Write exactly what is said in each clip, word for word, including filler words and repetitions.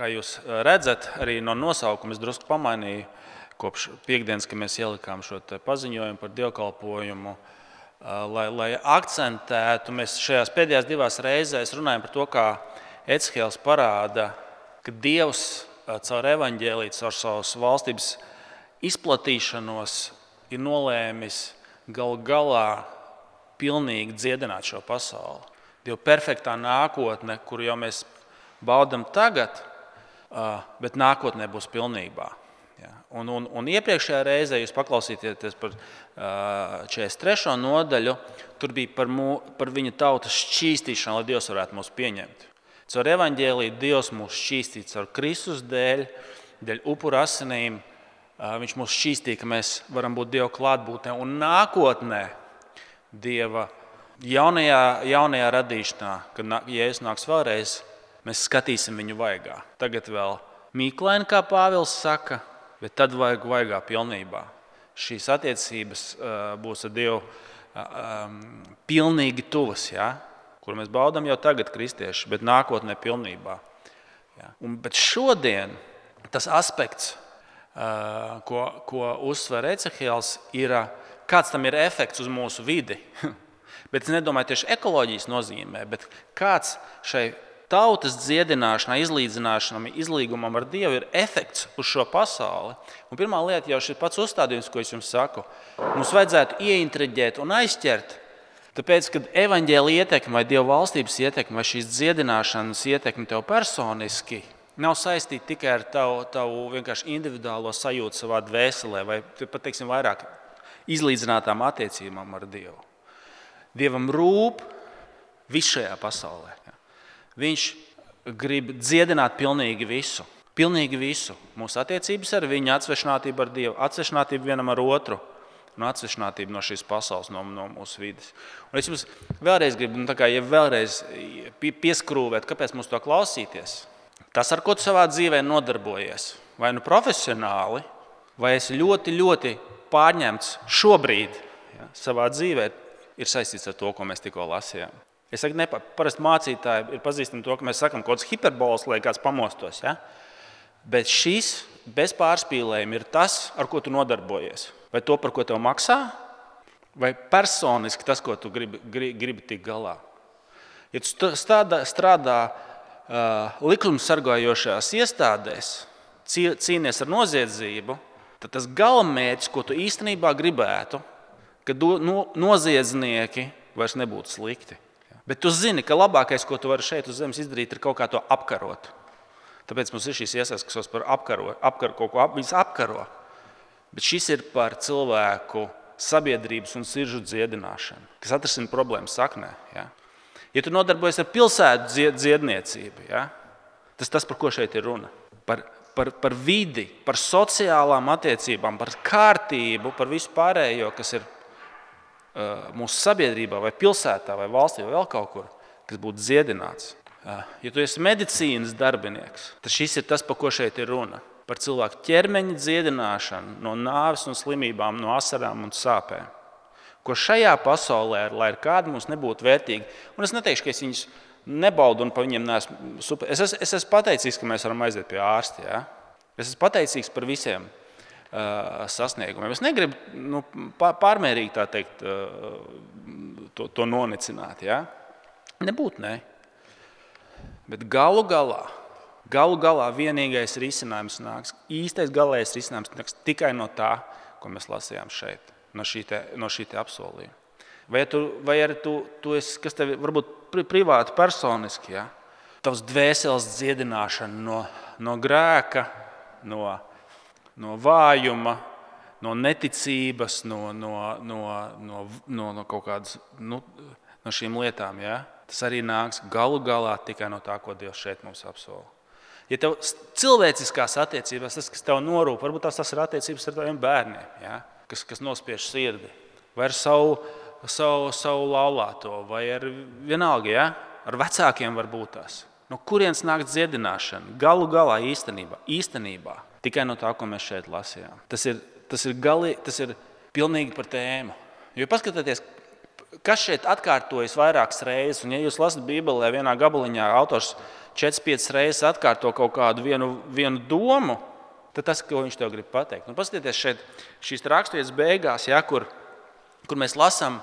kā jūs redzat, arī no nosaukuma es drusku pamainīju kopš piekdienas, kad mēs ielikām šo paziņojumu par dievkalpojumu, lai, lai akcentētu. Mēs šajās pēdējās divās reizēs runājam par to, kā Ecehēls parāda, ka Dievs caur evaņģēliju, caur savas valstības izplatīšanos ir nolēmis galu galā pilnīgi dziedināt šo pasauli. Dieva perfektā nākotne, kuru jau mēs baudam tagad, bet nākotnē būs pilnībā. Un, un, un iepriekšējā reizē jūs paklausīties par četrdesmit trešo nodaļu, tur bija par, mū, par viņa tautas šķīstīšanu, lai Dievs varētu mūs pieņemt. Caur evaņģēliju Dievs mūs šķīstīja caur Kristus dēļ, dēļ upura asinīm. Viņš mūs šķīstīja, ka mēs varam būt Dieva klātbūtnē. Un nākotnē Dieva jaunajā, jaunajā radīšanā, kad Jēzus nāks vēlreiz, mēs skatīsim viņu vaigā. Tagad vēl mīklaini, kā Pāvils saka, bet tad vajag vaigā pilnībā. Šīs attiecības uh, būs ar Dievu uh, um, pilnīgi tuvas, ja? Kur mēs baudam jau tagad kristieši, bet nākotnē pilnībā. Ja? Un, bet šodien tas aspekts, uh, ko, ko uzsver Ecehēls, ir, kāds tam ir efekts uz mūsu vidi. Bet es nedomāju tieši ekoloģijas nozīmē, bet kāds šai tautas dziedināšanai, izlīdzināšanai, izlīgumam ar Dievu ir efekts uz šo pasauli. Un pirmā lieta jau šis pats uzstādījums, ko es jums saku, mums vajadzētu ieintriģēt un aizķert, tāpēc, kad evaņģēlija ietekme vai Dieva valstības ietekme vai šīs dziedināšanas ietekme tev personiski nav saistīta tikai ar tavu, tavu vienkārši individuālo sajūtu savā dvēselē vai pat, teiksim, vairāk izlīdzinātām attiecībām ar Dievu. Dievam rūp viss šajā pasaulē. Viņš grib dziedināt pilnīgi visu. Pilnīgi visu. Mūsu attiecības ar viņu, atsvešinātība ar Dievu, atsvešinātība vienam ar otru un atsvešinātība no šīs pasaules, no, no mūsu vides. Un es jums vēlreiz gribu, nu, tā kā, ja vēlreiz pieskrūvēt, kāpēc mums to klausīties. Tas, ar ko tu savā dzīvē nodarbojies, vai nu profesionāli, vai esi ļoti, ļoti pārņemts šobrīd, ja, savā dzīvē, ir saistīts ar to, ko mēs tikko lasījām. Es saku, ne, parasti mācītāji ir pazīstami to, ka mēs sakam kaut kāds hiperbols, lai kāds pamostos. Ja? Bet šis bez pārspīlējuma ir tas, ar ko tu nodarbojies. Vai to, par ko tev maksā, vai personiski tas, ko tu gribi, gribi, gribi tikt galā. Ja tu strādā, strādā uh, likumsargājošās iestādēs, cīnies ar noziedzību, tad tas galamērķis, ko tu īstenībā gribētu, ka do, no, noziedznieki vairs nebūtu slikti. Bet tu zini, ka labākais, ko tu vari šeit uz zemes izdarīt, ir kaut kā to apkarot. Tāpēc mums ir šīs iesaistas, kas par apkaro, apkaro kaut ko ap, viņas apkaro. Bet šis ir par cilvēku sabiedrības un siržu dziedināšanu, kas atrisina problēmas saknē. Ja, ja tu nodarbojies ar pilsētu dzied, dziedniecību, ja, tas tas, par ko šeit ir runa. Par, par, par vidi, par sociālām attiecībām, par kārtību, par visu pārējo, kas ir mūsu sabiedrībā, vai pilsētā, vai valstī, vai vēl kaut kur, kas būtu dziedināts. Ja tu esi medicīnas darbinieks, tad šis ir tas, par ko šeit ir runa. Par cilvēku ķermeņa dziedināšanu no nāves un slimībām, no asarām un sāpēm. Ko šajā pasaulē, lai ir kādi mums nebūtu vērtīgi, un es neteikšu, ka es viņus nebaudu un pa viņiem neesmu super. Es, es, es esmu pateicīgs, ka mēs varam aiziet pie ārsta. Ja? Es esmu pateicīgs par visiem sasniegumiem. Es negribu nu, pārmērīgi tā teikt, to, to nonicināt. Ja? Nebūt, ne. Bet galu galā, galu galā vienīgais risinājums nāks, īstais galējais risinājums nāks tikai no tā, ko mēs lasījām šeit, no šī te, no šī te apsolījuma. Vai, tu, vai arī tu, tu esi, kas tev varbūt privāti, personiski, ja? Tavs dvēseles dziedināšana no, no grēka, no no vājuma, no neticības, no, no, no, no, no, no kaut kādas nu, no šīm lietām. Ja? Tas arī nāks galu galā tikai no tā, ko Dievs šeit mums apsola. Ja tev cilvēciskās attiecībās, tas, kas tev norūp, varbūt tās, tas ir attiecības ar taviem bērniem, ja? kas, kas nospiež sirdi, vai ar savu, savu, savu laulāto, vai ar vienalga, ja? Ar vecākiem var būt tās. No kurienes nāk dziedināšana? Galu galā īstenībā, īstenībā. Tikai no tā, ko mēs šeit lasījām. Tas ir, tas ir, gali, tas ir pilnīgi par tēmu. Jo paskatieties, kas šeit atkārtojas vairākas reizes, un ja jūs lasat Bībelē vienā gabaliņā, autors četras piecas reizes atkārto kaut kādu vienu, vienu domu, tad tas, ko viņš tev grib pateikt. Un paskatieties šeit šīs raksturvietas beigās, ja, kur, kur mēs lasām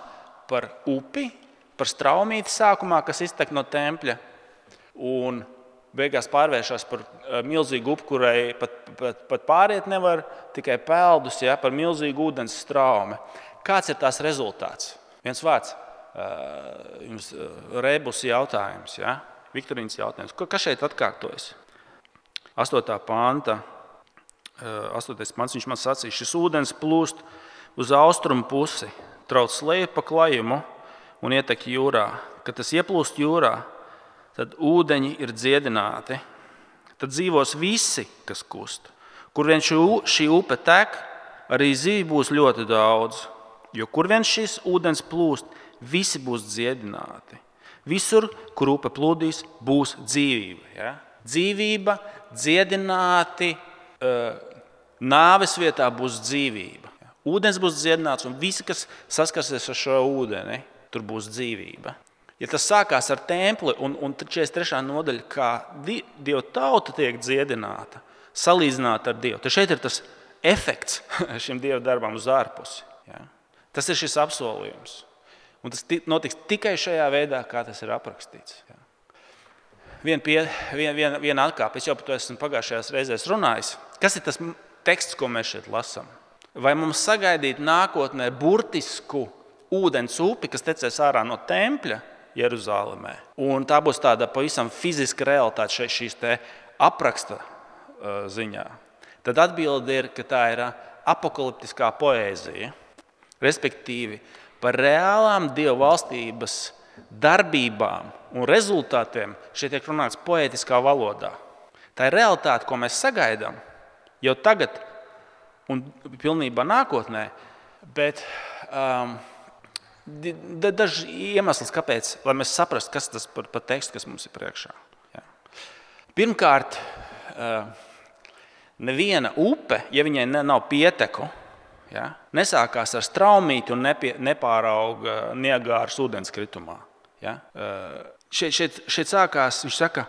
par upi, par straumīti sākumā, kas iztek no tempļa, un beigās pārvēršas par milzīgu upi, kurai pat, pat, pat pāriet nevar, tikai peldus, ja, par milzīgu ūdens straumi. Kāds ir tās rezultāts? Viens vārds, jums rebus jautājums, ja? Viktorīnas jautājums. Kas šeit atkārtojas? Astotā panta, astotais pants, viņš man sacīja, šis ūdens plūst uz austrumu pusi, trauc leju pa klajumu un ietek jūrā. Kad tas ieplūst jūrā, tad ūdeņi ir dziedināti. Tad dzīvos visi, kas kust. Kur vien šī upe tek, arī zīvi būs ļoti daudz. Jo kur vien šis ūdens plūst, visi būs dziedināti. Visur, kur upe plūdīs, būs dzīvība. Ja? Dzīvība, dziedināti, nāves vietā būs dzīvība. Ūdens būs dziedināts, un visi, kas saskarsies ar šo ūdeni, tur būs dzīvība. Ja tas sākās ar templi, un, un četrdesmit trešā nodaļa, kā Dieva tauta tiek dziedināta, salīdzināta ar Dievu, tad šeit ir tas efekts šim Dieva darbam uz ārpusi. Ja? Tas ir šis apsolījums. Un tas notiks tikai šajā veidā, kā tas ir aprakstīts. Ja? Viena pie, vien, vien, vien atkāpe, es jau par to esmu pagājušajās reizēs runājis. Kas ir tas teksts, ko mēs šeit lasām? Vai mums sagaidīt nākotnē burtisku ūdens upi, kas tecēs ārā no tempļa Jeruzālēmē? Un tā būs tāda pavisam fiziska realitāte šeit šīs te apraksta uh, ziņā. Tad atbilde ir, ka tā ir apokaliptiskā poēzija, respektīvi par reālām Dieva valstības darbībām un rezultātiem šeit tiek runāts poētiskā valodā. Tā ir realitāte, ko mēs sagaidām jau tagad un pilnībā nākotnē, bet um, daži iemesls, kāpēc, lai mēs saprastu, kas tas par, par tekstu, kas mums ir priekšā. Ja. Pirmkārt, uh, neviena upe, ja viņai nav pieteku, ja, nesākās ar straumīti un nepie, nepārauga Niagāras ūdenskritumā. Ja. Uh, šeit, šeit, šeit sākās, viņš saka,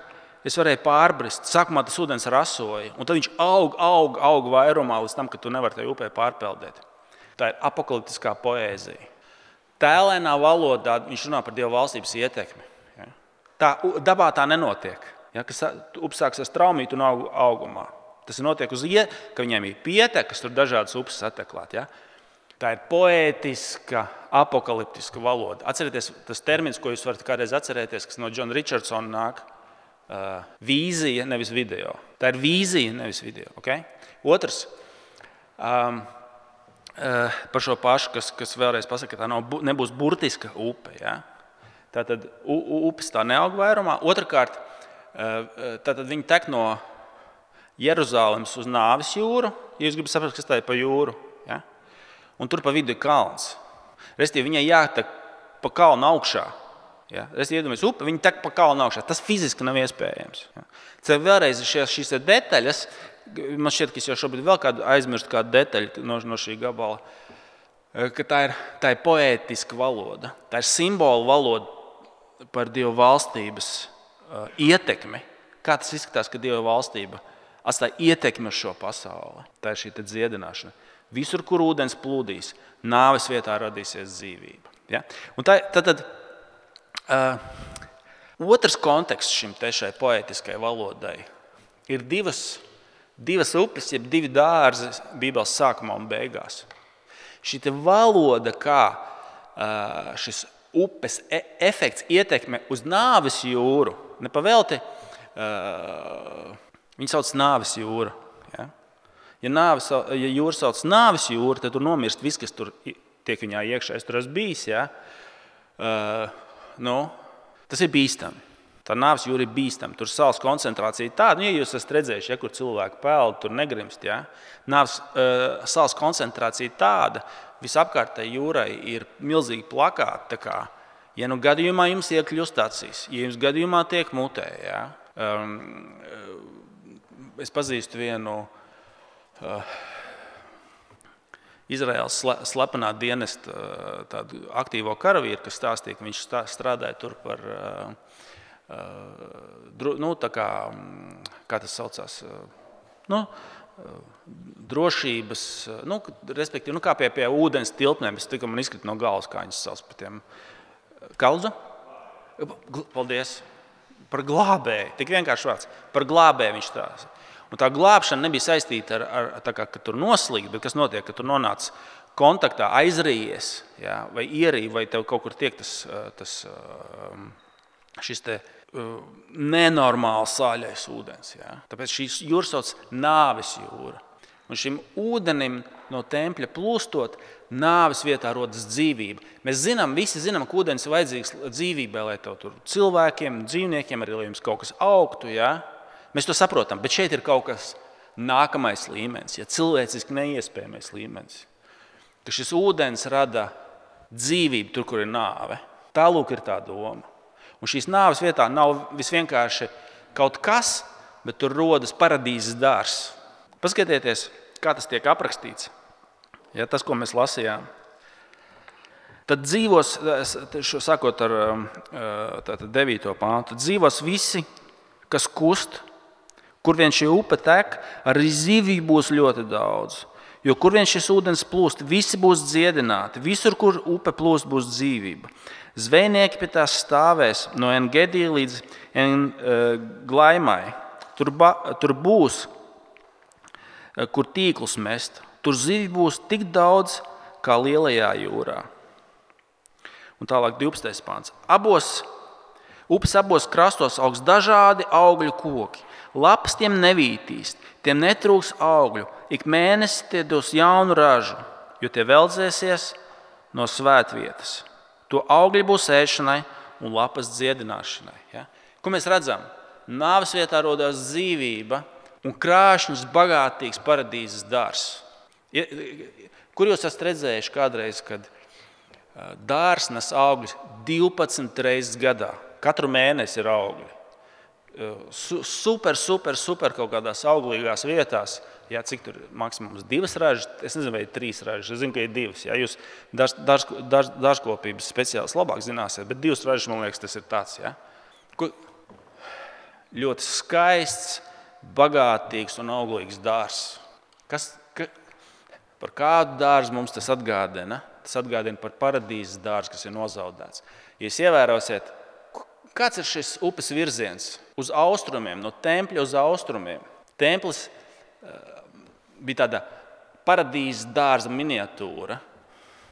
es varēju pārbrist, sākumā tas ūdens rasoja, un tad viņš aug, aug, aug vairumā līdz tam, ka tu nevari tajā upē pārpeldēt. Tā ir apokaliptiskā poēzija. Tēlēnā valodā viņš runā par Dieva valstības ietekmi. Ja. Tā, dabā tā nenotiek, ja, kas upsāks ar straumītu un aug, augumā. Tas notiek uz ie, ka viņiem ir pietekas, tur dažādas upes sateklāt. Ja. Tā ir poētiska, apokaliptiska valoda. Atcerieties, tas termins, ko jūs varat kādreiz atcerēties, kas no Džona Richardsona nāk, uh, vīzija, nevis video. Tā ir vīzija, nevis video. Okay? Otrs, um, uh, par šo pašu, kas, kas vēlreiz pasaka, ka tā nav, nebūs burtiska upe. Ja? Tātad upes tā neaug vairumā. Otrakārt, uh, tātad viņi tek no Jeruzālemes uz Nāves jūru, ja jūs gribat saprast, kas tā ir pa jūru. Ja? Un tur pa vidu ir kalns. Restīvi, viņai jātek pa kalnu augšā. Ja? Restīvi, iedomājies upe, viņi tek pa kalnu augšā. Tas fiziski nav iespējams. Ja? Tad vēlreiz šīs, šīs detaļas, man šķiet, ka es jau šobrīd vēl kādu aizmirstu kādu detaļu no, no šī gabala, ka tā ir, tā ir poētiska valoda. Tā ir simbolu valoda par Dieva valstības uh, ietekmi. Kā tas izskatās, ka Dieva valstība atstāja ietekmi uz šo pasauli. Tā ir šī dziedināšana. Visur, kur ūdens plūdīs, nāves vietā radīsies dzīvība. Ja? Un tā, tad, tad, uh, otrs konteksts šim te šai poētiskai valodai ir divas, divas upes, jeb divi dārzi Bībeles sākumā un beigās. Šī te valoda, kā uh, šis upes e- efekts ietekme uz nāves jūru, nepavēlti, uh, viņi sauc nāves jūra. Ja? Ja, nāves, ja jūra sauc nāves jūra, tad tur nomirst viss, kas tur tiek viņā iekšā. Es tur esmu bijis. Ja? Uh, nu, tas ir bīstami. Tā nāves jūra ir bīstama. Tur sāls koncentrācija tāda, nu, ja jūs esat redzējuši, ja, kur cilvēki peld, tur negrimst. Ja? Nāves uh, sāls koncentrācija tāda, visapkārtēji jūrai ir milzīgi plakāti. Tā kā, ja nu gadījumā jums iekļūst acīs, ja jums gadījumā tiek mutē, ja? um, Es pazīstu vienu, uh, Izraēlas slepenā dienesta tādu aktīvo karavīru, kas stāstīja, ka viņš strādāja tur par, nu, tā kā, kā tas saucās, nu, drošības, nu, respektīvi, nu, kā pie, pie ūdens tilpnēm, es tikko man izkrita no galvas, kā viņas sauc par tiem. Kalzu? Paldies. Par glābēju, tik vienkārši vārds. Par glābēju viņš strādāja. Un tā glābšana nebija saistīta ar, ar tā kā, ka tur noslīgt, bet kas notiek, ka tur nonāc kontaktā, aizrījies, ja, vai ierīja, vai tev kaut kur tiek tas, tas šis te nenormāli sāļais ūdens. Ja. Tāpēc šīs jūras sauc nāves jūra. Un šim ūdenim no tempļa plūstot, nāves vietā rodas dzīvība. Mēs zinām, visi zinām, ka ūdens ir vajadzīgs dzīvībai, lai tev tur cilvēkiem, dzīvniekiem, arī lai jums kaut kas augtu, ja. Mēs to saprotam, bet šeit ir kaut kas nākamais līmenis, ja cilvēciski neiespējamais līmenis. Ka šis ūdens rada dzīvību tur, kur ir nāve. Tālūk ir tā doma. Un šīs nāves vietā nav visvienkārši kaut kas, bet tur rodas paradīzes dārzs. Paskatieties, kā tas tiek aprakstīts. Ja, tas, ko mēs lasījām. Tad dzīvos, sākot ar tātad devīto pāntu, dzīvos visi, kas kust, kur vien šī upe tek, arī zivju būs ļoti daudz. Jo kur vien šis ūdens plūst, visi būs dziedināti. Visur, kur upe plūst, būs dzīvība. Zvejnieki pie tās stāvēs no Engedī līdz Glaimai. Tur, ba, tur būs, kur tīklus mest. Tur zivju būs tik daudz, kā lielajā jūrā. Un tālāk divpadsmitais pāns. Abos, upes abos krastos augs dažādi augļu koki. Lapas tiem nevītīs, tiem netrūks augļu. Ik mēnesi tie dos jaunu ražu, jo tie veldzēsies no svētvietas. To augļi būs ēšanai un lapas dziedināšanai. Ja? Ko mēs redzam? Nāves vietā rodās dzīvība un krāšņs, bagātīgs paradīzes dārzs. Kur jūs esat redzējuši kādreiz, kad dārzs nes augļus divpadsmit reizes gadā? Katru mēnesi ir augļi. Super, super, super kaut kādās auglīgās vietās. Jā, cik tur maksimums divas ražas? Es nezinu, vai ir trīs ražas. Es zinu, ka ir divas. Jā, jūs dārzkopības speciālis labāk zināsiet, bet divas ražas, man liekas, tas ir tāds. Jā. Ļoti skaists, bagātīgs un auglīgs dārzs. Kas, ka, par kādu dārzu mums tas atgādina? Tas atgādina par paradīzes dārzu, kas ir nozaudēts. Ja jūs ievērosiet, kāds ir šis upes virziens? Uz austrumiem, no tempļa uz austrumiem. Templis uh, bija tāda paradīzes dārza miniatūra.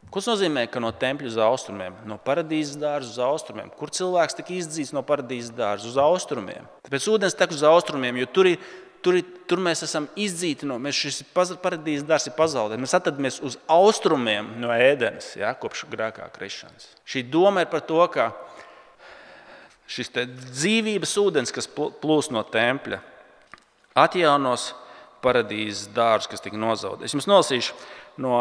Ko tas nozīmē, ka no tempļa uz austrumiem? No paradīzes dārza uz austrumiem. Kur cilvēks tika izdzīts no paradīzes dārza? Uz austrumiem. Tāpēc ūdens tek uz austrumiem, jo tur, ir, tur, ir, tur mēs esam izdzīti no, mēs šis paradīzes dārzs ir pazaudēts. Mēs atradamies uz austrumiem no Ēdenes, ja, kopš grēkā krišanas. Šī doma ir par to, ka šis te dzīvības ūdens, kas plūst no tempļa, atjaunos paradīzes dārzu, kas tika nozaudēts. Es jums nolasīšu no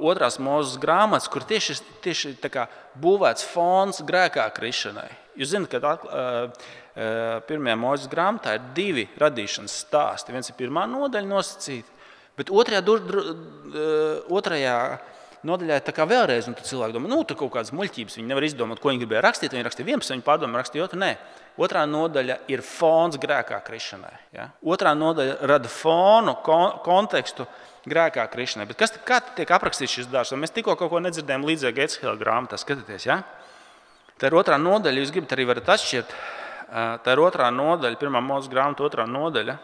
otrās Mūzes grāmatas, kur tieši, tieši tā kā būvēts fons grēkā krišanai. Jūs zināt, ka uh, pirmajā Mūzes grāmatā ir divi radīšanas stāsti. Viens ir pirmā nodaļa nosacīta, bet otrajā, dur, dur, otrajā nodaļā ir tā kā vēlreiz, un tad cilvēki domā, nu, tur kaut kādas muļķības, viņi nevar izdomāt, ko viņi gribēja rakstīt, viņi rakstīja vienpadsmit, viņi pārdomā, rakstīja otru, nē. Otrā nodaļa ir fons grēkā krišanai. Ja? Otrā nodaļa rada fonu, kon, kontekstu grēkā krišanai. Bet kas, kā tiek aprakstīts šis dārzs? Mēs tikko kaut ko nedzirdējām līdzīgi Ecehēla grāmatā, skatieties, ja? Tā ir otrā nodaļa, jūs gribat arī varat atšķirt. Tā ir otrā nodaļa, pirmā Mūzes grāmata, otrā nodaļa,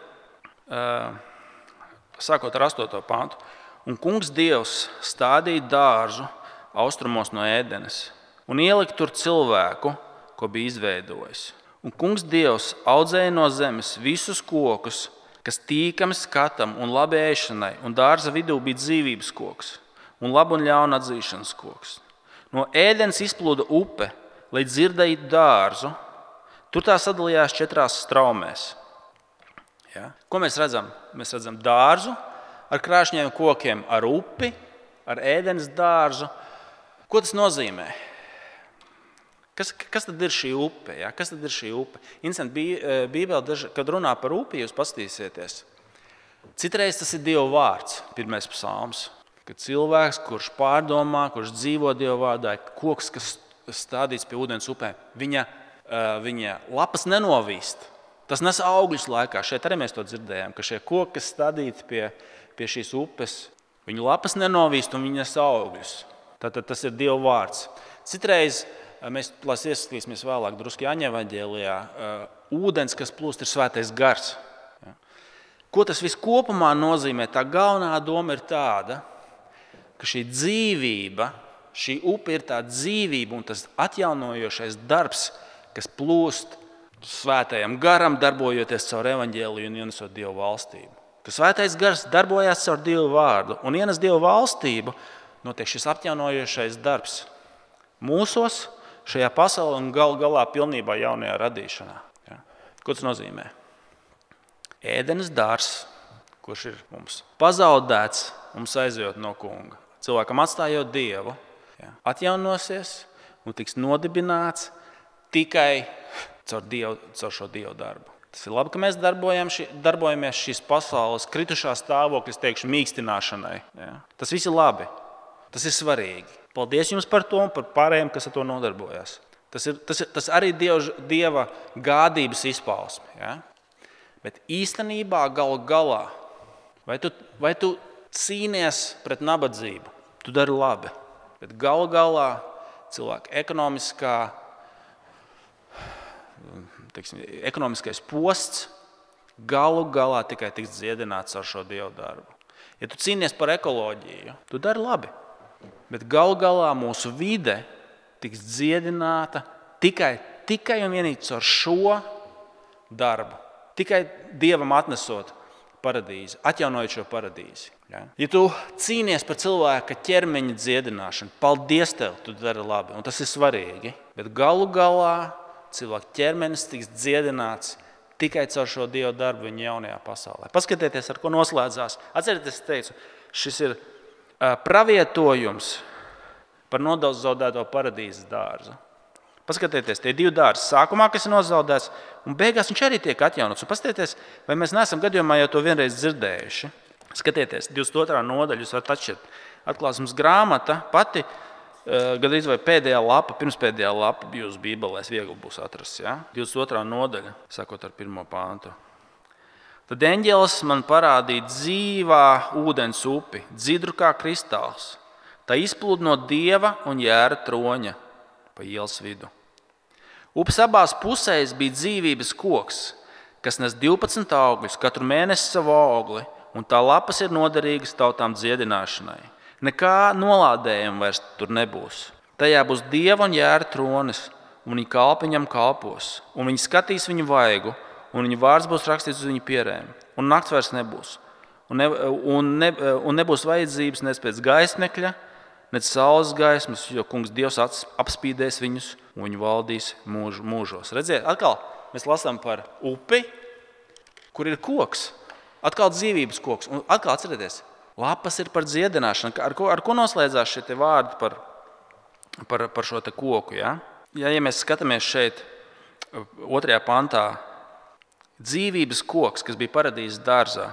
sākot ar astoto pāntu. Un kungs Dievs stādīja dārzu austrumos no Ēdenes un ielika tur cilvēku, ko bija izveidojis. Un kungs Dievs audzēja no zemes visus kokus, kas tīkami skatam un labi ēšanai, un dārza vidū bija dzīvības koks un labu un ļaunu atzīšanas koks. No Ēdenes izplūda upe, lai dzirdētu dārzu. Tur tā sadalījās četrās straumēs. Ja? Ko mēs redzam? Mēs redzam dārzu ar krāšņiem kokiem, ar upi, ar Ēdenes dārzu. Ko tas nozīmē? Kas, kas tad ir šī upe? Ja? Kas tad ir šī upe? Interesanti, Bībele, kad runā par upi, jūs paskatīsieties. Citreiz tas ir Dieva vārds, pirmais psalms. ka cilvēks, kurš pārdomā, kurš dzīvo Dieva vārdā, ir koks, kas stādīts pie ūdens upēm. Viņa, viņa lapas nenovīst. Tas nes augļus laikā. Šeit arī mēs to dzirdējām, ka šie koki, kas stādīti pie, pie šīs upes, viņu lapas nenovīst un viņi nes augļus. Tātad tas ir Dieva vārds. Citreiz mēs ieskatīsimies vēlāk drusku Jāņa evaņģēlijā. Ūdens, kas plūst, ir svētais gars. Ko tas viss kopumā nozīmē? Tā galvenā doma ir tāda, ka šī dzīvība, šī upe ir tā dzīvība un tas atjaunojošais darbs, kas plūst svētajam garam, darbojoties caur evaņģēliju un ienesot Dieva valstību. Ka svētais gars darbojās caur Dieva vārdu un ienes Dieva valstību, notiek šis atjaunojošais darbs mūsos, šajā pasaulē un gal galā pilnībā jaunajā radīšanā. Ja? Ko tas nozīmē? Ēdenes dārzs, kurš ir mums pazaudēts, mums aizejot no kunga. Cilvēkam atstājot Dievu, ja, atjaunosies un tiks nodibināts tikai caur, Dievu, caur šo Dievu darbu. Tas ir labi, ka mēs ši, darbojamies šīs pasaules kritušā stāvokļa, teikšu, mīkstināšanai. Ja. Tas viss ir labi. Tas ir svarīgi. Paldies jums par to un par pārējiem, kas ar to nodarbojas. Tas ir, tas ir tas arī Dieva, Dieva gādības izpausme. Ja. Bet īstenībā galu galā, vai tu, vai tu cīnies pret nabadzību, tu dari labi. Bet galu galā cilvēka ekonomiskā, teiksim, ekonomiskais posts galu galā tikai tiks dziedināts ar šo Dievu darbu. Ja tu cīnies par ekoloģiju, tu dari labi. Bet galu galā mūsu vide tiks dziedināta tikai, tikai un vienīgi ar šo darbu. Tikai Dievam atnesot paradīzi, atjaunojot šo paradīzi. Ja? Ja tu cīnies par cilvēka ķermeņa dziedināšanu, paldies tev, tu dari labi, un tas ir svarīgi. Bet galu galā cilvēka ķermenis tiks dziedināts tikai caur šo Dieva darbu viņa jaunajā pasaulē. Paskatieties, ar ko noslēdzās. Atcerieties, es teicu, šis ir uh, pravietojums par nozaudēto paradīzes dārzu. Paskatieties, tie divi dārzi sākumā, kas ir nozaudēts, un beigās viņš arī tiek atjaunots. Un paskatieties, vai mēs neesam gadījumā jau to vienreiz dzirdējuši. Skatieties, divdesmit otrā nodaļa, jūs varat atšķirt. Atklāsmes grāmata pati, gandrīz vai pēdējā lapa, pirmspēdējā lapa jūsu bībelēs viegli būs atrast. Ja? divdesmit otrā nodaļa, sākot ar pirmo pāntu. Tad eņģelis man parādīja dzīvā ūdens upi, dzidru kā kristāls. Tā izplūda no Dieva un Jēra troņa pa ielas vidu. Upes abās pusēs bija dzīvības koks, kas nes divpadsmit augļus, katru mēnesi savu augli, un tā lapas ir noderīgas tautām dziedināšanai. Nekā nolādējuma vairs tur nebūs. Tajā būs Dieva un Jēra tronis, un viņi kalpi viņam kalpos, un viņi skatīs viņu vaigu, un viņa vārds būs rakstīts uz viņu pierēm, un nakts vairs nebūs, un, ne, un, ne, un nebūs vajadzības nec pēc gaismekļa, nec saules gaismas, jo kungs Dievs apspīdēs viņus, un viņi valdīs mūž, mūžos. Redziet, atkal mēs lasām par upi, kur ir koks, atkal dzīvības koks, un atkal atcerieties, lapas ir par dziedināšanu. Ar ko, ar ko noslēdzās šie te vārdi par, par, par šo te koku? Ja? Ja, ja mēs skatāmies šeit otrajā pantā, dzīvības koks, kas bija paradīzes dārzā,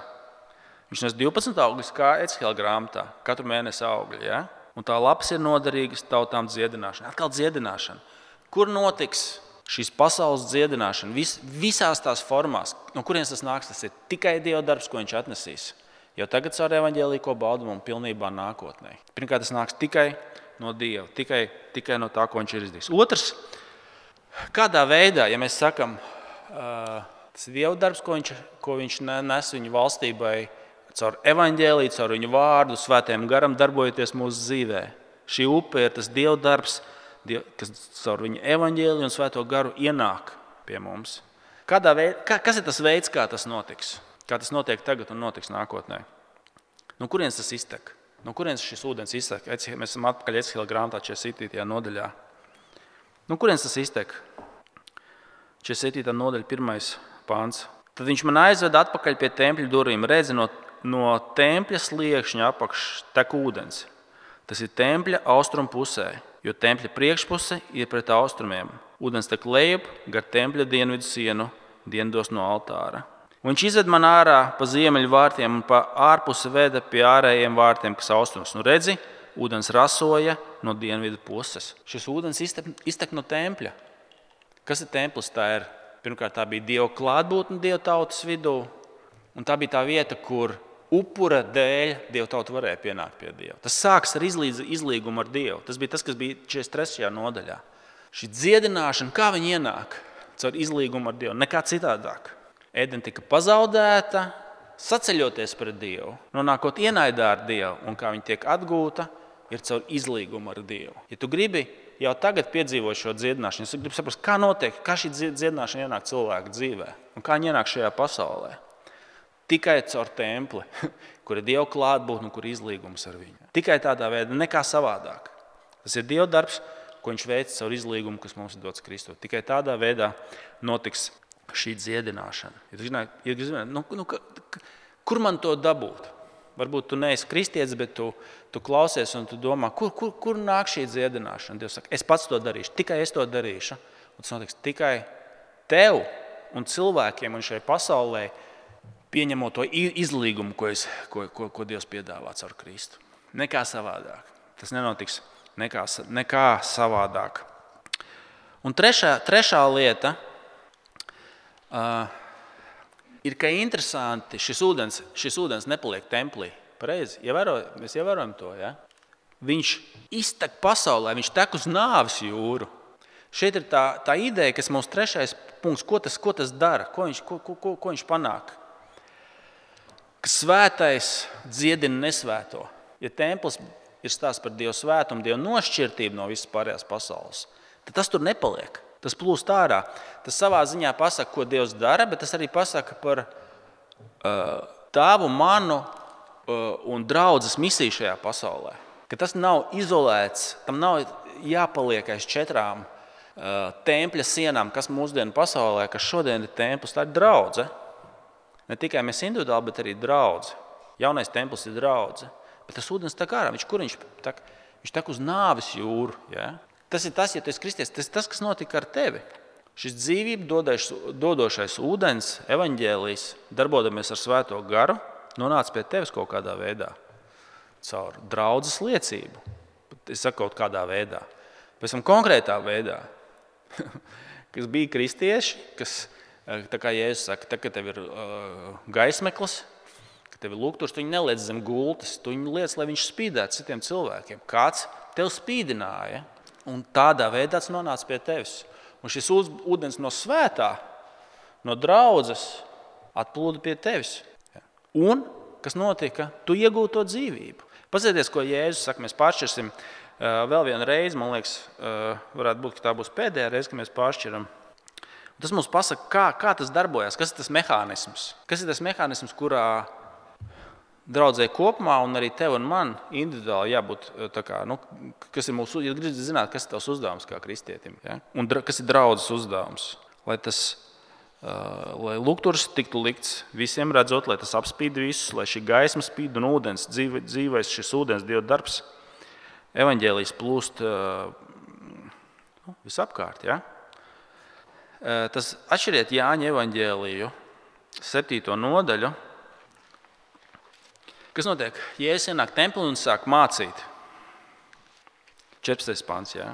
viņš nes divpadsmit augļus kā Ecehēla grāmatā, katru mēnesi augļi. Ja? Un tā lapas ir noderīgas tautām dziedināšana. Atkal dziedināšana. Kur notiks šīs pasaules dziedināšana? Vis, visās tās formās. No kurienes tas nāks? Tas ir tikai Dieva darbs, ko viņš atnesīs. Jau tagad caur evaņģēliju, ko baudam un pilnībā nākotnē. Pirmkārt, tas nāks tikai no Dieva, tikai, tikai no tā, ko viņš ir izdarījis. Otrs, kādā veidā, ja mēs sakam, tas ir Dieva darbs, ko viņš, ko viņš nes viņu valstībai, caur evaņģēliju, caur viņu vārdu, svētajam garam darbojoties mūsu dzīvē. Šī upe ir tas Dieva darbs, kas caur viņu evaņģēliju un svēto garu ienāk pie mums. Kādā veid, kā, kas ir tas veids, kā tas notiks? Kā tas notiek tagad un notiks nākotnē? No kurienes tas iztek? No kurienes šis ūdens iztek? Mēs esam atpakaļ Ecehēla grāmatā četrdesmit septītajā nodaļā. No kurienes tas iztek? četrdesmit septītā nodaļa, pirmais pāns. Tad viņš man aizveda atpakaļ pie tempļa durvīm, redzi no No tempļa sliekšņa apakš tek ūdens. Tas ir tempļa austrumu pusē, jo tempļa priekšpuse ir pret austrumiem. Ūdens tek lejup gar tempļa dienvidu sienu, dienvidos no altāra. Un viņš izved man ārā pa ziemeļu vārtiem un pa ārpusi veda pie ārējiem vārtiem, kas austrumos. Nu redzi, ūdens rasoja no dienvidu puses. Šis ūdens iztek, iztek no tempļa. Kas ir templis? Tā ir, pirmkārt, tā bija Dieva klātbūtne Dieva tautas vidū. Un tā bija tā vieta, kur upura dēļ Dieva tauta varēja pienākt pie Dieva. Tas sāks ar izlīdz, izlīgumu ar Dievu. Tas bija tas, kas bija četrdesmit trešajā nodaļā. Šī dziedināšana, kā viņi ienāk caur izlīgumu ar Dievu, nekā citādāk. Ēdena tika pazaudēta, saceļoties pret Dievu, nonākot ienaidā ar Dievu, un kā viņa tiek atgūta, ir caur izlīgumu ar Dievu. Ja tu gribi jau tagad piedzīvot šo dziedināšanu, es gribu saprast, kā notiek, kā šī dziedināšana ienāk cilvēka dzīvē, un kā viņa ienāk šajā pasaulē. Tikai caur templi, kur ir Dieva klātbūtne un kur ir izlīgums ar viņu. Tikai tādā veidā, nekā savādāk. Tas ir Dieva darbs, ko viņš veic caur izlīgumu, kas mums ir dots Kristu. Tikai tādā veidā notiks šī dziedināšana. Ja tu zināt, ja tu zināt, nu, nu, kur man to dabūt? Varbūt tu neesi kristietis, bet tu, tu klausies un tu domā, kur, kur, kur nāk šī dziedināšana? Dievs saka, es pats to darīšu, tikai es to darīšu. Un tas notiks tikai tev un cilvēkiem un šai pasaulē pieņemot to izlīgumu, ko, es, ko, ko, ko Dievs piedāvā caur Kristu. Nekā savādāk. Tas nenotiks nekā, nekā savādāk. Un trešā, trešā lieta uh, ir, ka interesanti, šis ūdens, šis ūdens nepaliek templī. Pareizi, ievēro, mēs ievērojam to, ja? Viņš iztek pasaulē, viņš tek uz nāves jūru. Šeit ir tā, tā ideja, kas mums trešais punkts, ko tas, ko tas dara, ko viņš, ko, ko, ko viņš panāk. Ka svētais dziedina nesvēto. Ja templis ir stāsts par Dievu svētumu, Dievu nošķirtību no visas pārējās pasaules, tad tas tur nepaliek. Tas plūst ārā. Tas savā ziņā pasaka, ko Dievs dara, bet tas arī pasaka par uh, tavu, manu uh, un draudzes misiju šajā pasaulē. Ka tas nav izolēts, tam nav jāpaliek aiz četrām uh, tempļa sienām, kas mūsdienu pasaulē, kas šodien ir templis, tā ir draudze. Ne tikai mēs individuāli, bet arī draudze. Jaunais templis ir draudze. Bet tas ūdens tek ārā. Viņš, kur viņš tek? Viņš tek uz nāves jūru. Ja? Tas ir tas, ja tu esi kristietis, tas ir tas, kas notika ar tevi. Šis dzīvību dodošais ūdens, evaņģēlijs, darbodamies ar svēto garu, nonāca pie tevis kaut kādā veidā. Caur draudzes liecību. Es saku kaut kādā veidā. Pēc tam konkrētā veidā. Kas bija kristieši, kas, tā kā Jēzus saka, tā, ka tev ir uh, gaismeklis, ka tev ir lūgturs, tu viņu neliec zem gultas, tu viņu liec, lai viņš spīdētu citiem cilvēkiem. Kāds tev spīdināja? Un tādā veidā tas nonāca pie tevis. Un šis ūdens no svētā, no draudzes, atplūda pie tevis. Un, kas notika, tu iegūti to dzīvību. Pasieties, ko Jēzus saka, mēs pāršķirsim uh, vēl vienu reizi, man liekas, uh, varētu būt, ka tā būs pēdējā reize, ka mēs pāršķiram. Un tas mums pasaka, kā, kā tas darbojas, kas ir tas mehānisms. Kas ir tas mehānisms, kurā draudzē kopumā un arī tev un man individuāli jābūt tā kā, nu, kas ir mūsu, ja gribi zināt, kas ir tavs uzdevums kā kristietim, ja? Un kas ir draudzes uzdevums, lai tas, uh, lai lūgturs tiktu likts visiem redzot, lai tas apspīd visus, lai šī gaisma spīd un ūdens, dzīve, dzīvais šis ūdens Dieva darbs, evaņģēlijs plūst uh, nu, visapkārt, ja? Uh, tas atšķiriet Jāņa evaņģēliju, septīto nodaļu. Kas notiek? Jēzus ienāk templī un sāk mācīt. četrpadsmitais pants, jā.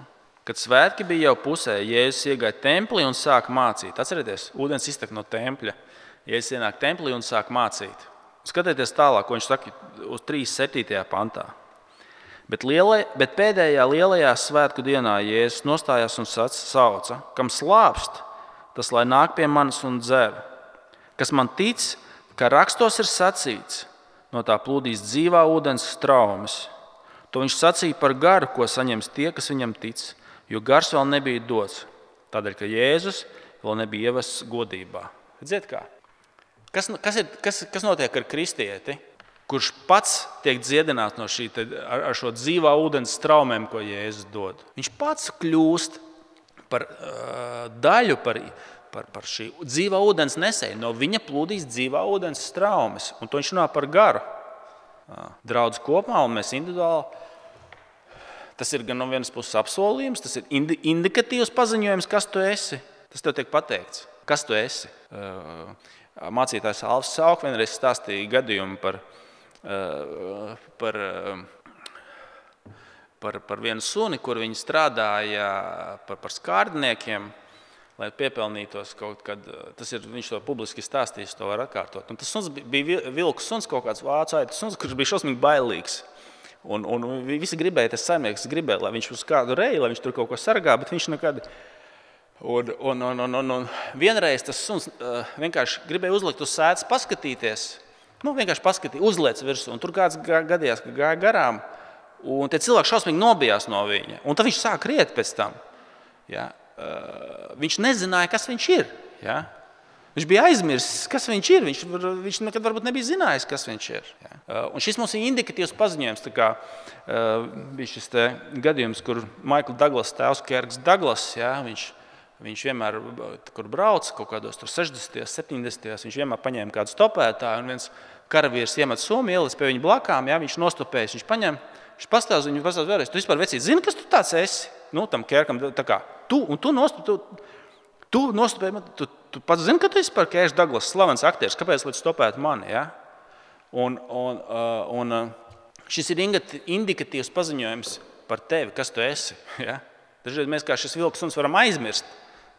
Kad svētki bija jau pusē, Jēzus iegāja templī un sāk mācīt. Atcerieties, ūdens iztek no tempļa. Jēzus ienāk templī un sāk mācīt. Skatieties tālāk, ko viņš saka uz trīsdesmit septītajā pantā. Bet, lielai, bet pēdējā lielajā svētku dienā Jēzus nostājās un sauca, kam slāpst, tas lai nāk pie manis un dzer. Kas man tic, ka rakstos ir sacīts, no tā plūdīs dzīvā ūdens straumes. To viņš sacīja par garu, ko saņems tie, kas viņam tic, jo gars vēl nebija dots, tādēļ, ka Jēzus vēl nebija ievests godībā. Redziet kā? Kas, kas, ir, kas, kas notiek ar kristieti, kurš pats tiek dziedināts no šī, ar, ar šo dzīvā ūdens straumēm, ko Jēzus dod? Viņš pats kļūst par uh, daļu, par Par, par šī dzīvā ūdens nesēju. No viņa plūdīs dzīvā ūdens straumes. Un to viņš runā par garu. Draudz kopumā un mēs individuāli. Tas ir gan no vienas puses apsolījums, tas ir indi, indikatīvs paziņojums, kas tu esi. Tas tev tiek pateikts. Kas tu esi? mācītājs Alfs Sauk vienreiz stāstīja gadījumu par, par, par, par vienu suni, kur viņi strādāja par, par skārdniekiem, lai piepelnītos kaut kad. Tas ir, viņš to publiski stāstījis, to var atkārtot. Un tas suns bija vilku suns, kaut kāds vācu aitas suns, kurš bija šausmīgi bailīgs. Un, un visi gribēja, tas saimnieks gribēja, lai viņš uz kādu reju, lai viņš tur kaut ko sargā, bet viņš nekad... Un, un, un, un, un, un vienreiz tas suns uh, vienkārši gribēja uzlikt uz sēdes, paskatīties, nu vienkārši paskatīt, uzliec virsū, un tur kāds gadījās, ka gāja garām, un tie cilvēki šausmīgi nobijās no viņa, un tad viņš sāk riet pēc tam. Ja? Uh, viņš nezināja, kas viņš ir. Ja? Viņš bija aizmirsis, kas viņš ir, viņš, viņš nekad varbūt nebija zinājis, kas viņš ir. Ja? Uh, un šis mums ir indikatīvs paziņojums, tā kā uh, bija šis te gadījums, kur Maikla Daglas tēvs Kerks Daglas, ja? viņš Viņš vienmēr, kur brauc, kaut kādos sešdesmitajos, septiņdesmitajos, viņš vienmēr paņēma kādu stopētāju, un viens karavīrs iemet somu, ielis pie viņa blakām, ja, viņš nostopējas, viņš paņem, viņš pastāv, viņu pastāv vēlreiz, tu vispār vecīt, zini, kas tu tāds esi? Nu, tam Kerkam, tā kā, tu, un tu nostopēji, tu, tu nostopēji, tu, tu pats zini, ka tu esi par Kerks Daglas slavens aktieris, kāpēc līdz stopēt mani, ja? Un, un, un, un šis ir indikatīvs paziņojums par tevi, kas tu esi, ja? Dažreiz mēs kā šis vilks suns varam aizmirst,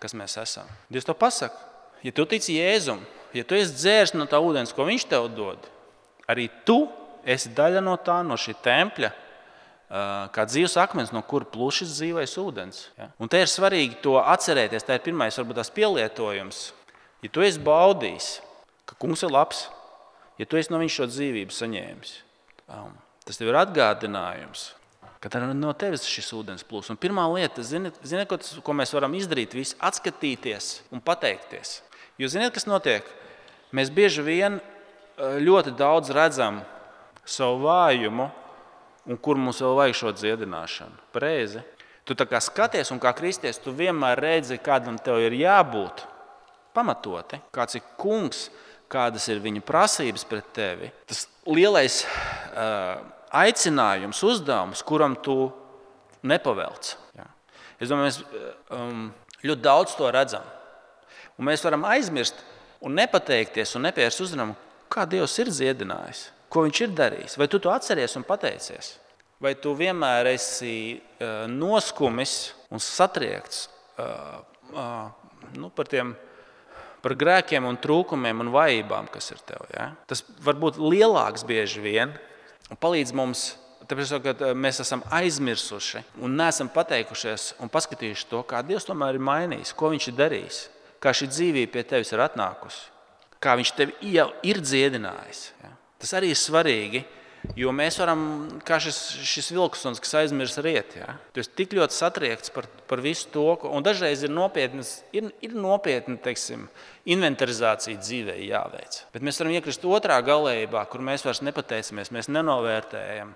kas mēs esam. Dievs to pasaka. Ja tu tici Jēzum, ja tu esi dzērs no tā ūdens, ko viņš tev dod, arī tu esi daļa no tā, no šī tempļa, kā dzīves akmens, no kura plušas dzīvais ūdens. Ja? Un te ir svarīgi to atcerēties, tā ir pirmais, varbūt tās pielietojums. Ja tu esi baudījis, ka kungs ir labs, ja tu esi no viņš šo dzīvību saņēmis, tas tev ir atgādinājums, ka no tevis šis ūdens plūs. Un pirmā lieta, ziniet, ziniet ko, ko mēs varam izdarīt, visi atskatīties un pateikties. Jo ziniet, kas notiek? Mēs bieži vien ļoti daudz redzam savu vājumu, un kur mums vēl vajag šo dziedināšanu. Pareizi. Tu tā kā skaties, un kā kristietis, tu vienmēr redzi, kādam tev ir jābūt pamatoti, kāds ir kungs, kādas ir viņa prasības pret tevi. Tas lielais... Uh, aicinājums, uzdevums, kuram tu nepavelc. Ja. Es domāju, mēs um, ļoti daudz to redzam. Un mēs varam aizmirst un nepateikties un nepievērst uzmanību, kā Dievs ir dziedinājis, ko viņš ir darījis. Vai tu to atceries un pateicies? Vai tu vienmēr esi uh, noskumis un satriekts uh, uh, nu, par tiem par grēkiem un trūkumiem un vājībām, kas ir tev. Ja? Tas var būt lielāks bieži vien, un palīdz mums, tāpēc, ka mēs esam aizmirsuši un neesam pateikušies un paskatījuši to, kā Dievs tomēr ir mainījis, ko viņš ir darījis, kā šī dzīvība pie tevis ir atnākusi, kā viņš tevi jau ir dziedinājis. Ja? Tas arī ir svarīgi, jo mēs varam, kā šis, šis vilksuns, kas aizmirs riet, ja? Tu esi tik ļoti satriekts par, par visu to, un dažreiz ir nopietnas, ir, ir nopietni, teiksim, inventarizācija dzīvē jāveic. Bet mēs varam iekrist otrā galējībā, kur mēs vairs nepateicamies, mēs nenovērtējam.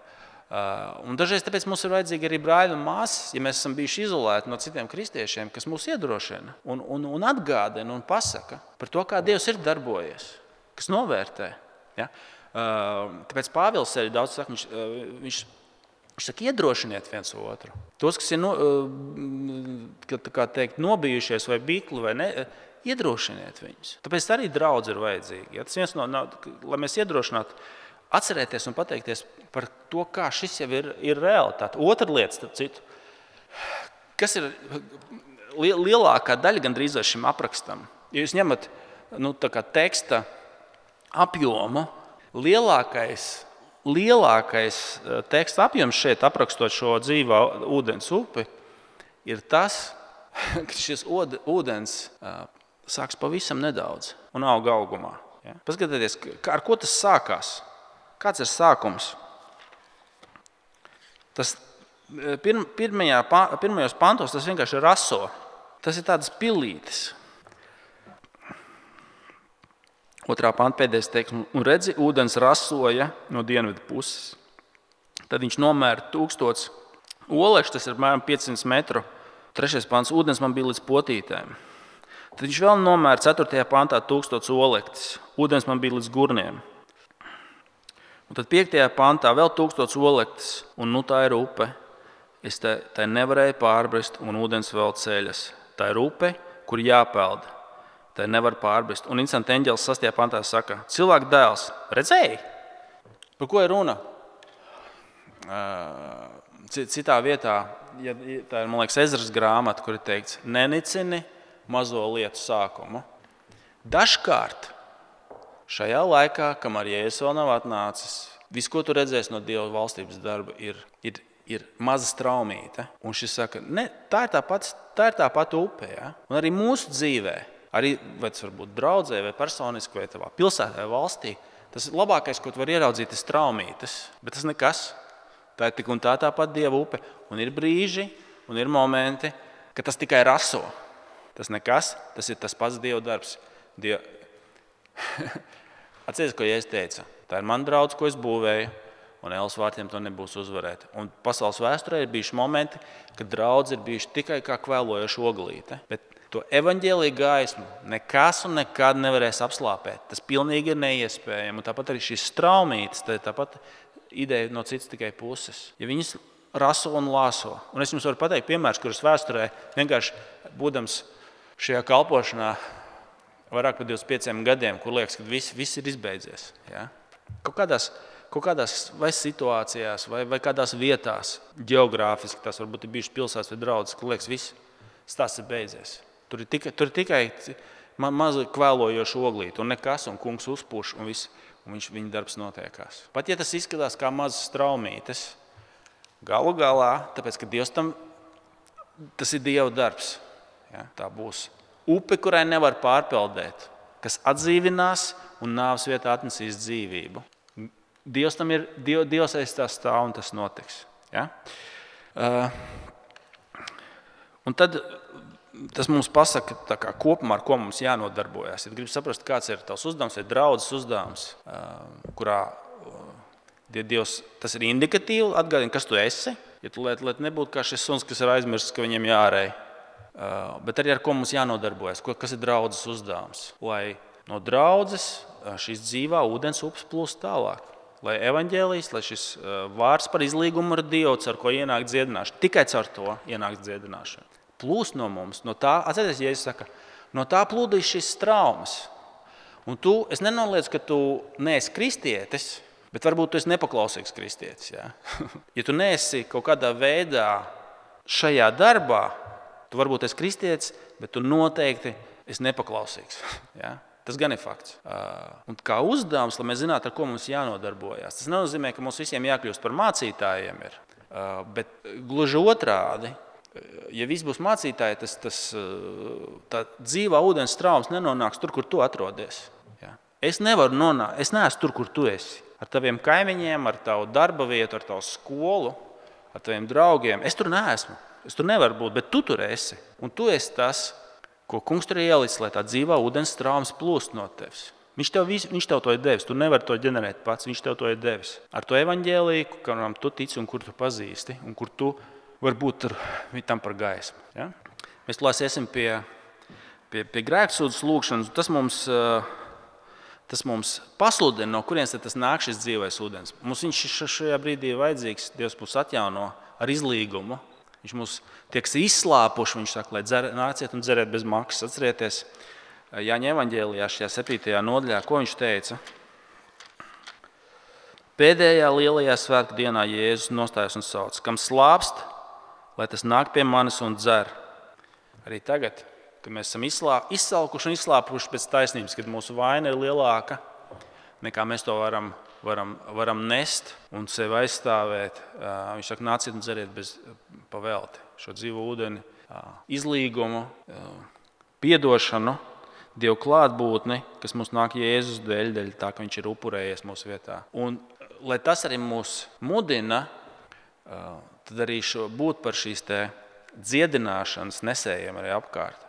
Un dažreiz tāpēc mums ir vajadzīgi arī brāļi un māsas, ja mēs esam bijuši izolēti no citiem kristiešiem, kas mūs iedrošina un, un, un atgādina un pasaka par to, kā Dievs ir darbojies, kas novērtē. Ja? Tāpēc Pāvils arī daudz saka, viņš, viņš, viņš saka, iedrošiniet viens otru. Tos, kas ir no, kā teikt, nobijušies vai bikli, vai ne, iedrošiniet viņus. Tāpēc arī draudz ir vajadzīgi. Ja? Tas viens no, no, lai mēs iedrošinātu, atcerēties un pateikties par to, kā šis jau ir, ir realitāte. Otra lieta, starp citu, kas ir lielākā daļa gandrīz šim aprakstam. Ja jūs ņemat nu, tā kā teksta apjomu, lielākais, lielākais teksta apjoms šeit aprakstot šo dzīvā ūdens upi ir tas, ka šis ūdens sāks pavisam nedaudz un auga augumā. Ja? Paskatieties, ar ko tas sākās. Kāds ir sākums? Tas pirm, pirmajā, pirmajos pantos tas vienkārši raso. Tas ir tādas pilītes. Otrā panta pēdējais teiks, un redzi, ūdens rasoja no dienvidu puses. Tad viņš nomēra tūkstots olekšu, tas ir apmēram piecsimt metru. Trešais pants, ūdens man bija līdz potītēm. Tad viņš vēl nomēra ceturtajā pantā tūkstots olektis. Ūdens man bija līdz gurniem. Un tad piektajā pantā vēl tūkstots olektis, un nu tā ir upe. Es tai, tai nevarēju pārbrist, un ūdens vēl ceļas. Tā ir upe, kur jāpeld. tai nevar pārbrist. Un instants eņģelis sastajā pantā saka, cilvēka dēls, redzēji? Par ko ir runa? Citā vietā, ja, tā ir, man liekas, Ezras grāmata, kur ir teikts, nenicini mazo lietu sākumu. Dažkārt šajā laikā, kamēr Jēzus vēl nav atnācis, viss, ko tu redzēsi no Dieva valstības darba, ir, ir, ir maza straumīte. Un šis saka, ne, tā ir tā pati, tā ir tā pati upe. Ja? Un arī mūsu dzīvē, arī, vai tas var būt draudzē, vai personiski, vai tavā pilsētā, vai valstī, tas ir labākais, ko tu vari ieraudzīt, ir straumītes. Bet tas nekas. Tā ir tik un tā tā pati Dieva upe. Un ir brīži, un ir momenti, ka tas tikai raso. Tas nekas, tas ir tas pats Dieva darbs. Dieva... Atceries, ko Jēzus teica. Tā ir mana draudze, ko es būvēju, un Ēlas vārtiem to nebūs uzvarēt. Un pasaules vēsturē ir bijuši momenti, kad draudze ir bijuši tikai kā kvēlojoša oglīte. Bet to evaņģēliju gaismu nekas un nekad nevarēs apslāpēt. Tas pilnīgi ir neiespējami. Un tāpat arī šīs straumītes, tā ir tāpat ideja no citas tikai puses. Ja viņas raso un lāso. Un es jums varu pateikt piemērs, kurus vēsturē vienkārši būdams šajā kalpošanā vairāk par divdesmit pieciem gadiem, kur liekas, ka viss, viss ir izbeidzies. Ja? Kaut kādās, kaut kādās vai situācijās, vai, vai kādās vietās, ģeogrāfiski, tas varbūt ir bijušas pilsētas vai draudzes, kur liekas, viss stāsts ir beidzies. Tur ir tikai, tur ir tikai ma, maza kvēlojoša oglīte, un nekas, un kungs uzpuš, un, viss, un viņš, viņa darbs notiekās. Pat ja tas izskatās kā mazas straumītes, galu galā, tāpēc, ka Dievs tam, tas ir Dieva darbs. Ja? Tā būs. Upe, kurai nevar pārpeldēt, kas atdzīvinās un nāves vietā atnesīs dzīvību. Dievs tam ir, Dievs aiz tā stāv un tas notiks. Ja? Uh, un tad tas mums pasaka tā kā kopumā, ar ko mums jānodarbojas. Ja gribi saprast, kāds ir tavs uzdevums, ir draudzes uzdevums, uh, kurā uh, Dievs, tas ir indikatīvi, atgādina, kas tu esi. Ja tu liet, liet nebūtu kā šis suns, kas ir aizmirsts, ka viņam jārej. Uh, bet arī ar ko mums jānodarbojas, kas ir draudzes uzdevums. Lai no draudzes šīs dzīvā ūdens upes plūst tālāk. Lai evaņģēlijs, lai šis uh, vārds par izlīgumu ar Dievu, ar ko ienāk dziedināšana, tikai caur to ienāk dziedināšana. Plūst no mums, no tā, atcerieties, Jēzus saka, no tā plūdīs šis traumas. Un tu, es nenoliedzu, ka tu neesi kristietis, bet varbūt tu esi nepaklausīgs kristietis. Ja, ja tu neesi kaut kādā veidā šajā darbā, tu varbūt esi kristietis, bet tu noteikti esi nepaklausīgs. Ja? Tas gan ir fakts. Un kā uzdevums, lai mēs zinātu, ar ko mums jānodarbojas. Tas nenozīmē, ka mums visiem jākļūst par mācītājiem. Ir. Bet gluži otrādi, ja viss būs mācītāji, tas, tas, tā dzīvā ūdens traumas nenonāks tur, kur tu atrodies. Ja? Es nevaru nonākt, es neesmu tur, kur tu esi. Ar taviem kaimiņiem, ar tavu darba vietu, ar tavu skolu, ar taviem draugiem. Es tur neesmu. Es tur nevaru būt, bet tu tur esi. Un tu esi tas, ko kungs tur ielicis, lai tā dzīvā ūdens traumas plūst no tevis. Viņš tev, visu, viņš tev to ir devis. Tu nevari to ģenerēt pats. Viņš tev to ir devis. Ar to evaņģēliju, kuram tu tici un kur tu pazīsti, un kur tu vari būt tam par gaismu. Ja? Mēs lāsiesim pie, pie, pie grēksūdzes lūgšanas. Tas mums, tas mums pasludina, no kurienes tas nāk šis dzīvais ūdens. Mums viņš šajā brīdī ir vajadzīgs. Dievs mūs atjauno ar izlīgumu. Viņš mūs tiek izslāpuši, viņš saka, lai dzer, nāciet un dzeriet bez maksas. Atcerieties, Jāņa evaņģēlijā šajā septītajā nodaļā, ko viņš teica? Pēdējā lielajā svētku dienā Jēzus nostājas un sauc, kam slāpst, lai tas nāk pie manis un dzer. Arī tagad, kad mēs esam izslā, izsalkuši un izslāpuši pēc taisnības, kad mūsu vaina ir lielāka, nekā mēs to varam Varam, varam nest un sevi aizstāvēt. Viņš saka, nāciet un dzeriet bez pavelti šo dzīvo ūdeni, izlīgumu, piedošanu, Dievu klātbūtni, kas mums nāk Jēzus dēļ, dēļ tā, ka viņš ir upurējies mūsu vietā. Un, lai tas arī mūs mudina, tad arī šo, būt par šīs te dziedināšanas nesējiem arī apkārt.